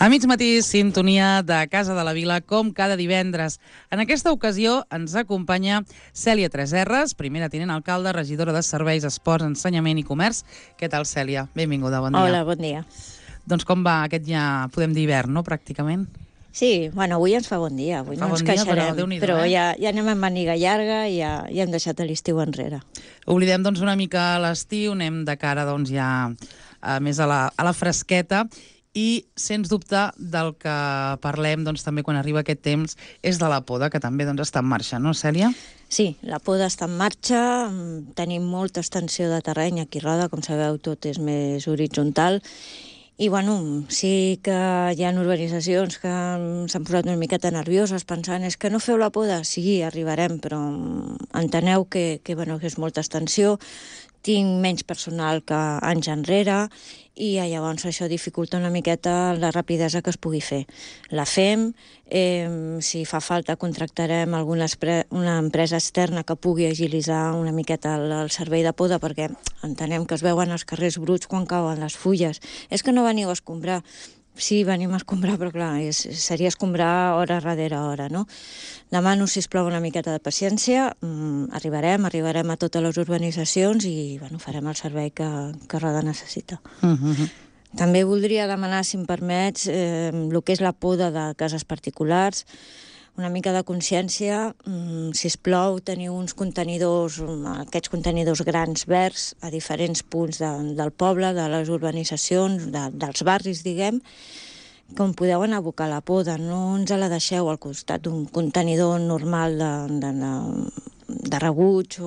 A mig matí, sintonia de Casa de la Vila, com cada divendres. En aquesta ocasió ens acompanya Cèlia Tresserras, primera tinent alcalde, regidora de Serveis, Esports, Ensenyament i Comerç. Què tal, Cèlia? Benvinguda, bon dia. Hola, bon dia. Doncs com va aquest ja, podem dir hivern, no?, pràcticament. Sí, bueno, avui ens fa bon dia, avui no ens queixarem, però ja anem amb màniga llarga i ja hem deixat l'estiu enrere. Oblidem doncs una mica l'estiu, anem de cara doncs ja més a la fresqueta. I, sens dubte, del que parlem doncs, també quan arriba aquest temps és de la poda, que també doncs, està en marxa, no, Cèlia? Sí, la poda està en marxa, tenim molta extensió de terreny aquí a Roda, com sabeu, tot és més horitzontal, i bueno, sí que hi ha urbanitzacions que s'han posat una miqueta nervioses pensant és que no feu la poda? Sí, arribarem, però enteneu que és molta extensió, tinc menys personal que anys enrere i llavors això dificulta una miqueta la rapidesa que es pugui fer. La fem, si fa falta contractarem una empresa externa que pugui agilitzar una miqueta el servei de poda perquè entenem que es veuen els carrers bruts quan cauen les fulles. És que no veniu a escombrar. Sí, venim a escombrar, però clar, seria escombrar hora darrere hora, no? Demano, sisplau, una miqueta de paciència, arribarem a totes les urbanitzacions i farem el servei que Roda necessita. També voldria demanar, si em permets, el que és la poda de cases particulars, una mica de consciència, sisplau, teniu uns contenidors, aquests contenidors grans verds a diferents punts del poble, de les urbanitzacions, dels barris, diguem, com podeu anar a abocar la poda. No ens la deixeu al costat d'un contenidor normal de rebuig.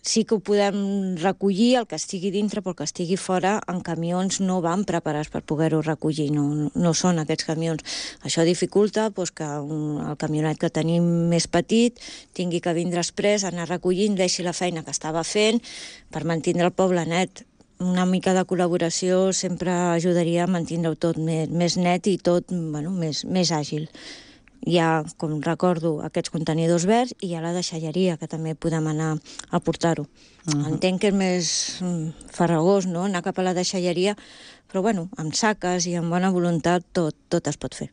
Sí que ho podem recollir, el que estigui dintre, però el que estigui fora, en camions no van preparats per poder-ho recollir, no són aquests camions. Això dificulta que el camionet que tenim més petit tingui que vindre exprés, anar recollint, deixi la feina que estava fent per mantenir el poble net. Una mica de col·laboració sempre ajudaria a mantenir-ho tot més net i tot més àgil. Hi ha, com recordo, aquests contenidors verds i hi ha la deixalleria, que també podem anar a portar-ho. Entenc que és més farragós, no?, anar cap a la deixalleria, però amb saques i amb bona voluntat tot es pot fer.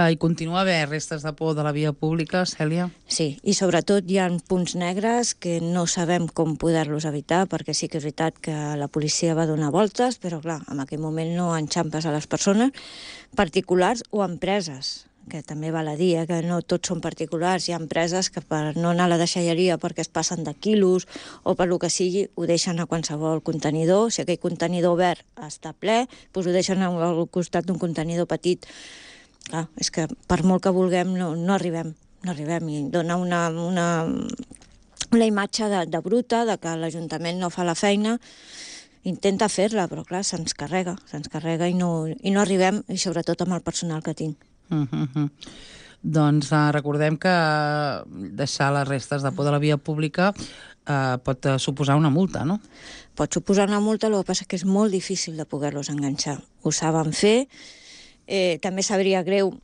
I continua a haver restes de por de la via pública, Cèlia? Sí, i sobretot hi ha punts negres que no sabem com poder-los evitar, perquè sí que és veritat que la policia va donar voltes, però clar, en aquell moment no enxampes a les persones particulars o empreses, que també val a dir, que no tots són particulars. Hi ha empreses que per no anar a la deixalleria perquè es passen de quilos o per lo que sigui, ho deixen a qualsevol contenidor. Si aquell contenidor verd està ple, doncs ho deixen al costat d'un contenidor petit. Clar, és que per molt que vulguem no arribem i dona una imatge de bruta, de que l'Ajuntament no fa la feina. Intenta fer-la, però clar, se'ns carrega i no arribem, i sobretot amb el personal que tinc. Doncs recordem que deixar les restes de por de la via pública pot suposar una multa, no? Pot suposar una multa, el que passa que és molt difícil de poder-los enganxar. Ho saben fer, també sabria greu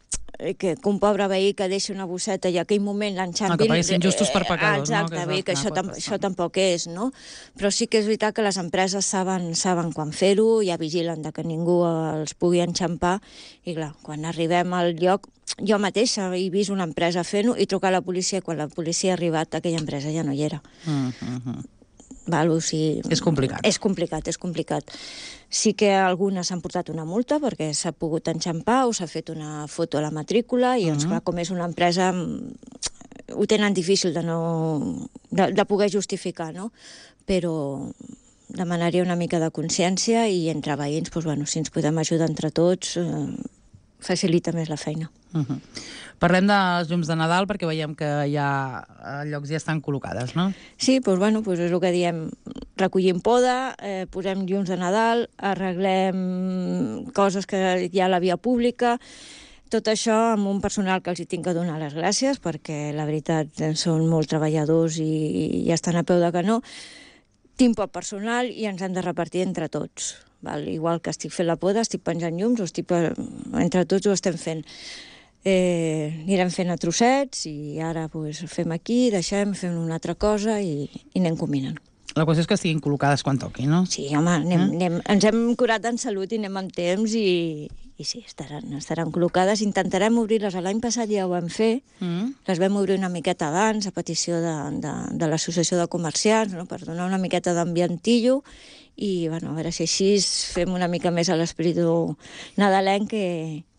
que un pobre veí que deixi una bosseta i en aquell moment l'enxampin... Que paguessin justos per pecadors, no? Exacte, que això tampoc és, no? Però sí que és veritat que les empreses saben quan fer-ho, ja vigilen que ningú els pugui enxampar, i clar, quan arribem al lloc, jo mateixa he vist una empresa fent-ho i trucar a la policia, i quan la policia ha arribat aquella empresa ja no hi era. És complicat. És complicat. Sí que algunes s'han portat una multa perquè s'ha pogut enxampar o s'ha fet una foto a la matrícula i, clar, com és una empresa, ho tenen difícil de poder justificar, no? Però demanaria una mica de consciència i entre veïns, si ens podem ajudar entre tots, facilita més la feina. Parlem dels llums de Nadal perquè veiem que ja llocs ja estan col·locades, no? Sí, és el que diem. Recollim poda, posem llums de Nadal, arreglem coses que hi ha a la via pública, tot això amb un personal que els hi tinc que donar les gràcies perquè la veritat són molt treballadors i estan a peu de canó. Tinc poc personal i ens hem de repartir entre tots. Igual que estic fent la poda, estic penjant llums, entre tots ho estem fent. Anirem fent a trossets i ara fem aquí, fem una altra cosa i anem combinant. La qüestió és que estiguin col·locades quan toqui, no? Sí, home, ens hem curat en salut i anem amb temps i sí, estaran col·locades. Intentarem obrir-les. L'any passat ja ho vam fer. Les vam obrir una miqueta abans, a petició de l'Associació de Comerciants, no? Per donar una miqueta d'ambientillo, i bueno, a veure si així fem una mica més a l'espíritu nadalenc,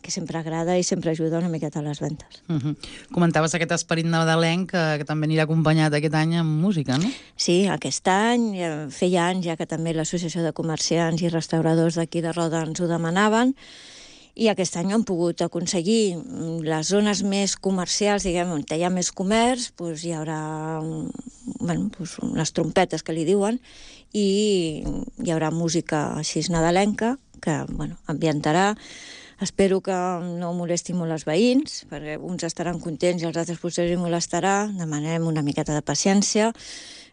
que sempre agrada i sempre ajuda una miqueta a les ventes. Comentaves aquest esperit nadalenc que també anirà acompanyat aquest any amb música, no? Sí, aquest any, feia anys ja que també l'Associació de Comerciants i Restauradors d'aquí de Roda ens ho demanaven, i aquest any hem pogut aconseguir les zones més comercials, diguem, on hi ha més comerç, doncs hi haurà les trompetes que li diuen, i hi haurà música així nadalenca, que ambientarà. Espero que no molesti molt els veïns, perquè uns estaran contents i els altres potser els molestarà. Demanem una miqueta de paciència.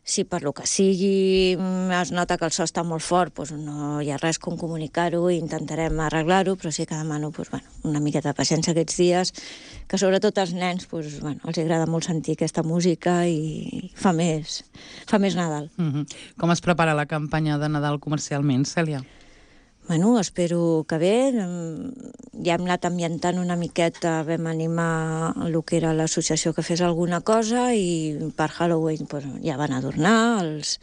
Si per lo que sigui es nota que el so està molt fort, doncs no hi ha res com comunicar-ho i intentarem arreglar-ho, però sí que demano una miqueta de paciència aquests dies, que sobretot als nens els agrada molt sentir aquesta música i fa més Nadal. Com es prepara la campanya de Nadal comercialment, Cèlia? Espero que bé. Ja hem anat ambientant una miqueta, vam animar el que era l'associació que fes alguna cosa, i per Halloween ja van adornar els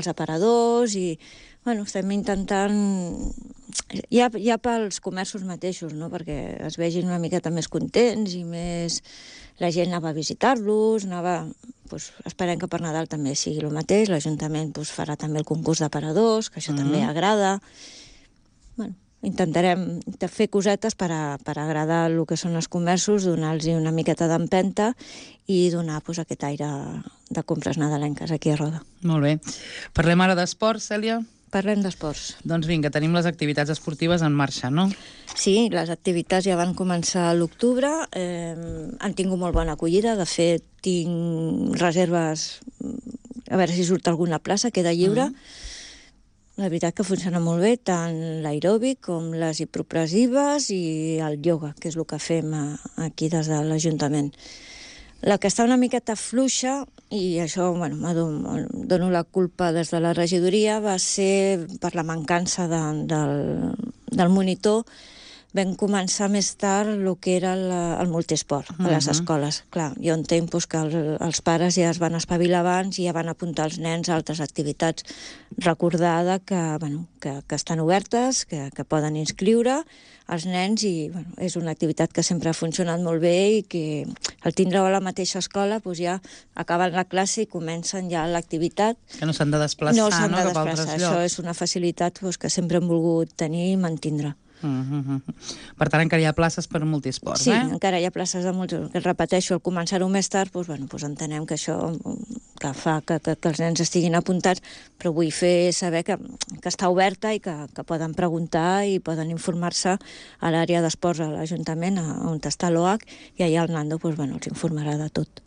aparadors, i estem intentant ja pels comerços mateixos, no? Perquè es vegin una miqueta més contents i més... La gent anava a visitar-los, esperem que per Nadal també sigui el mateix. L'Ajuntament farà també el concurs d'aparadors, que això també agrada. Intentarem fer cosetes per agradar el que són els comerços, donar-los una miqueta d'empenta i donar aquest aire de compres nadalenques aquí a Roda. Molt bé. Parlem ara d'esports, Cèlia? Parlem d'esports. Doncs vinga, tenim les activitats esportives en marxa, no? Sí, les activitats ja van començar a l'octubre, han tingut molt bona acollida. De fet, tinc reserves, a veure si surt alguna plaça, queda lliure. La veritat que funciona molt bé, tant l'aeròbic com les hipopressives i el ioga, que és el que fem aquí des de l'Ajuntament. La que està una miqueta fluixa, i això dono la culpa des de la regidoria, va ser per la mancança del monitor. Vam començar més tard el que era el multiesport a les escoles. Clar, jo entenc que els pares ja es van espavilar abans i ja van apuntar els nens a altres activitats. Recordada que estan obertes, que poden inscriure els nens, i és una activitat que sempre ha funcionat molt bé, i que al tindre-ho a la mateixa escola ja acaben la classe i comencen ja l'activitat. Que no s'han de desplaçar, no s'han de cap a altres llocs. Això és una facilitat que sempre hem volgut tenir i mantindre. Per tant, encara hi ha places per multiesport, sí, encara hi ha places de multiesport. Repeteixo, al començar-ho més tard, entenem que això que fa que els nens estiguin apuntats, però vull fer saber que està oberta i que poden preguntar i poden informar-se a l'àrea d'esports a l'Ajuntament, on està l'OAC, i allà el Nando els informarà de tot.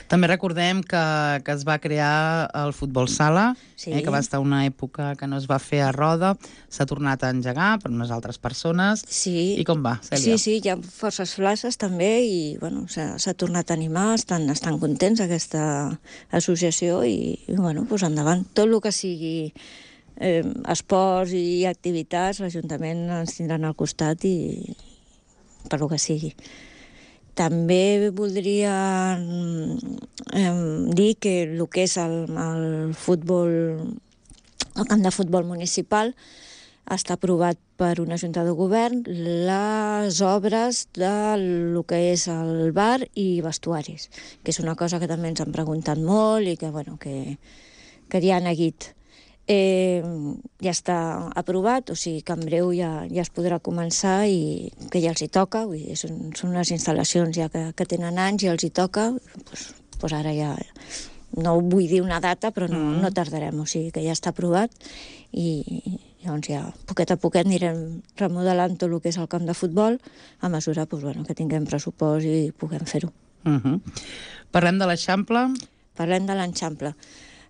També recordem que es va crear el futbol sala, que va estar una època que no es va fer a Roda, s'ha tornat a engegar per unes altres persones. Sí. I com va, Cèlia? Sí, hi ha forces places també, i s'ha tornat a animar, estan contents aquesta associació, i endavant. Tot el que sigui esports i activitats, l'Ajuntament ens tindran al costat, i per lo que sigui. També voldria dir que el que és el futbol, el camp de futbol municipal, està aprovat per una junta de govern les obres del que és el bar i vestuaris, que és una cosa que també ens han preguntat molt i que ja ha neguit. Ja està aprovat, o sigui que en breu ja es podrà començar, i que ja els hi toca. Són unes instal·lacions ja que tenen anys i els hi toca. Ara ja no vull dir una data, però no tardarem, o sigui que ja està aprovat, i llavors ja poquet a poquet anirem remodelant tot el que és el camp de futbol a mesura que tinguem pressupost i puguem fer-ho. Parlem de l'Eixample? Parlem de l'Eixample.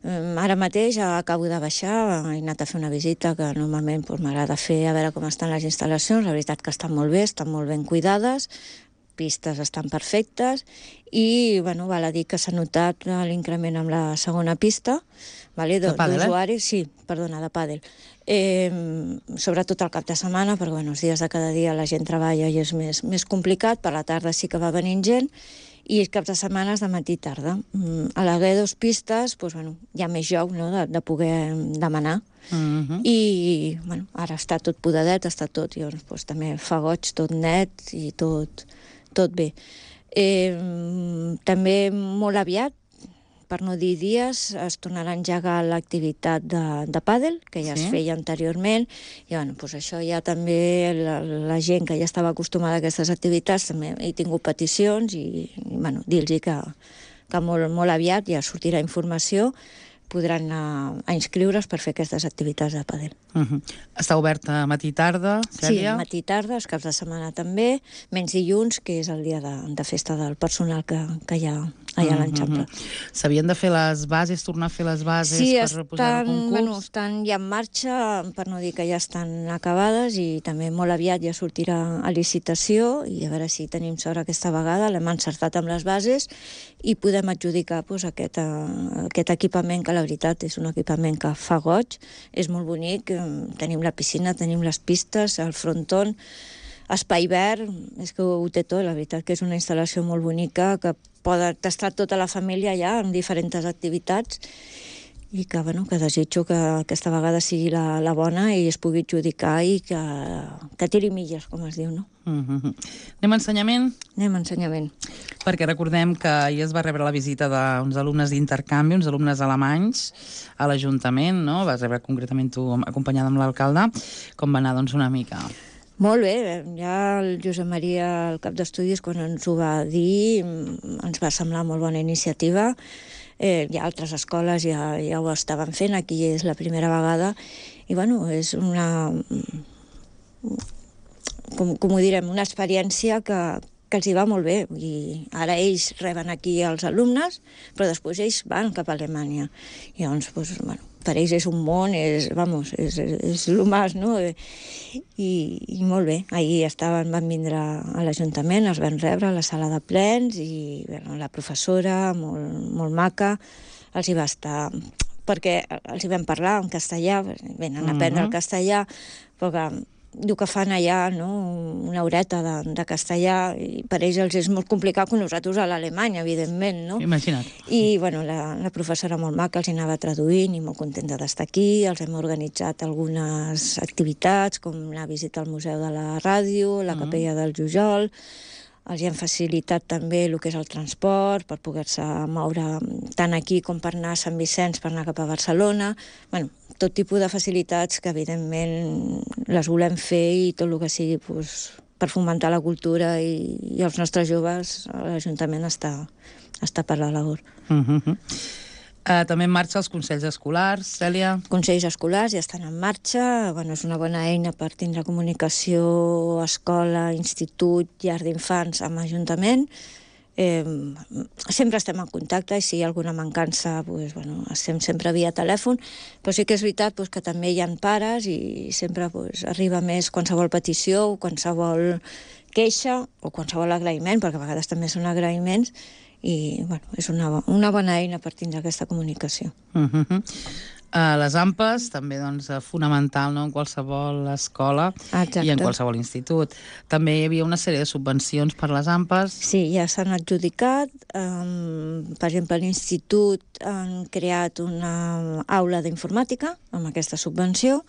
Ara mateix acabo de baixar, he anat a fer una visita que normalment m'agrada fer, a veure com estan les instal·lacions. La veritat que estan molt bé, estan molt ben cuidades. pistes estan perfectes i, bueno, val a dir que s'ha notat l'increment amb la segona pista, vale, d'usuaris, sí, perdona, de pàdel. Sobretot al cap de setmana, perquè els dies de cada dia la gent treballa i és més complicat, per la tarda sí que va venint gent, i els caps de setmana és de matí i tarda. A l'haver 2 pistes, hi ha més joc, no?, de poder demanar. I ara està tot podadet, està tot, i també fa goig, tot net i tot bé. També molt aviat, per no dir dies, es tornarà a engegar l'activitat de pàdel, que ja es feia anteriorment, i això ja també la gent que ja estava acostumada a aquestes activitats també he tingut peticions i dir-los que molt aviat ja sortirà informació, podran anar a inscriure's per fer aquestes activitats de pàdel. Està oberta matí i tarda, Cèlia? Sí, matí i tarda, els caps de setmana també, menys dilluns, que és el dia de festa del personal que hi ha allà a l'Enxample. S'havien de fer les bases, tornar a fer les bases per reposar el concurs? Sí, estan ja en marxa, per no dir que ja estan acabades, i també molt aviat ja sortirà a licitació, i a veure si tenim sort aquesta vegada, l'hem encertat amb les bases i podem adjudicar aquest equipament, que la veritat és un equipament que fa goig, és molt bonic, tenim la piscina, tenim les pistes, el fronton, espai verd, és que ho té tot, la veritat que és una instal·lació molt bonica, que pot estar tota la família allà en diferents activitats, i que desitjo que aquesta vegada sigui la bona i es pugui adjudicar i que tiri milles, com es diu, no? Anem a ensenyament? Anem a ensenyament. Perquè recordem que ahir es va rebre la visita d'uns alumnes d'intercanvi, uns alumnes alemanys, a l'Ajuntament, no? Vas rebre concretament tu acompanyada amb l'alcalde. Com va anar, una mica? Molt bé, ja el Josep Maria, el cap d'estudis, quan ens ho va dir, ens va semblar molt bona iniciativa. Hi ha altres escoles ja ho estaven fent, aquí és la primera vegada, i és una, com ho direm, una experiència que els hi va molt bé. I ara ells reben aquí els alumnes, però després ells van cap a Alemanya. I llavors, per ells és un món, és el més, no? I molt bé. Ahir van vindre a l'Ajuntament, els van rebre a la sala de plens, i la professora, molt maca, els hi va estar... perquè els hi vam parlar en castellà, venen a aprendre el castellà, però que diu que fan allà, no?, una horeta de castellà, i per ells és molt complicat que nosaltres a l'Alemanya, evidentment, no? Imagina't. I, la professora molt maca els hi anava traduint i molt contenta d'estar aquí. Els hem organitzat algunes activitats, com la visita al Museu de la Ràdio, la Capella del Jujol. Els hi han facilitat també el que és el transport, per poder-se moure tant aquí com per anar a Sant Vicenç, per anar cap a Barcelona. Tot tipus de facilitats que, evidentment, les volem fer, i tot el que sigui per fomentar la cultura i els nostres joves, l'Ajuntament està per la labor. També en marxa els consells escolars, Cèlia? Consells escolars ja estan en marxa. És una bona eina per tindre comunicació escola, institut, llar d'infants amb Ajuntament. Sempre estem en contacte, i si hi ha alguna mancança, estem sempre via telèfon, però sí que és veritat que també hi ha pares, i sempre arriba més qualsevol petició, o qualsevol queixa, o qualsevol agraïment, perquè a vegades també són agraïments, i és una bona eina per tindre aquesta comunicació. Les AMPAs, també fonamental, no?, en qualsevol escola. Exacte. I en qualsevol institut. També hi havia una sèrie de subvencions per les AMPAs. Sí, ja s'han adjudicat. Per exemple, a l'institut han creat una aula d'informàtica amb aquesta subvenció.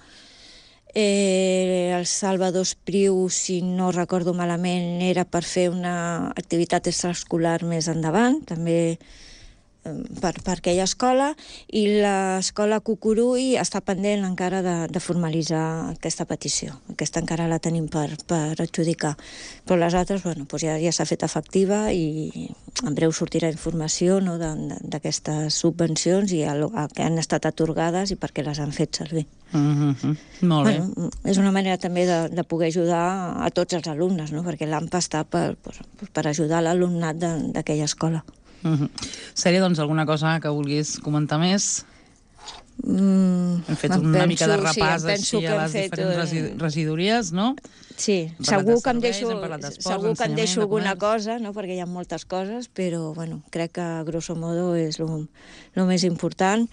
El Salvador Espriu, si no recordo malament, era per fer una activitat extraescolar més endavant, també per aquella escola, i l'escola Cucurull està pendent encara de formalitzar aquesta petició. Aquesta encara la tenim per adjudicar. Però les altres, ja s'ha fet efectiva, i en breu sortirà informació, no?, d'aquestes subvencions, i que han estat atorgades i per què les han fet servir. Molt bé. És una manera també de poder ajudar a tots els alumnes, no?, perquè l'AMPA està per ajudar l'alumnat d'aquella escola. Sèrie, alguna cosa que vulguis comentar més? Hem fet una mica de repàs penso així a les diferents regidories, no? Sí, Hem segur parlat de que serveis, hem parlat d'esports, em deixo d'ensenyament, alguna de comerç. cosa, no? Perquè hi ha moltes coses, però bueno, crec que grosso modo és el més important.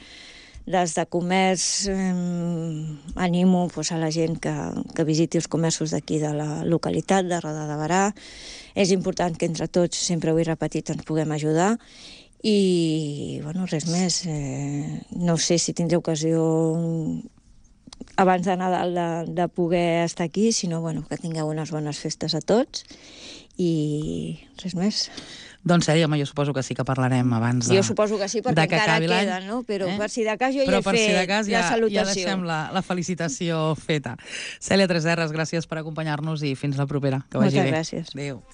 Des de comerç animo a la gent que visiti els comerços d'aquí de la localitat, de Roda de Berà. És important que entre tots, sempre ho he repetit, ens puguem ajudar. I, bueno, res més. No sé si tindré ocasió abans de Nadal de poder estar aquí, sinó, bueno, que tingueu unes bones festes a tots i res més. Doncs, Cèlia, jo suposo que sí que parlarem abans Jo suposo que sí, perquè encara queda, no? Però per si de cas jo ja he fet la salutació. Ja deixem la felicitació feta. Cèlia Tresserras, gràcies per acompanyar-nos i fins la propera. Que vagi bé. Moltes gràcies. Adéu.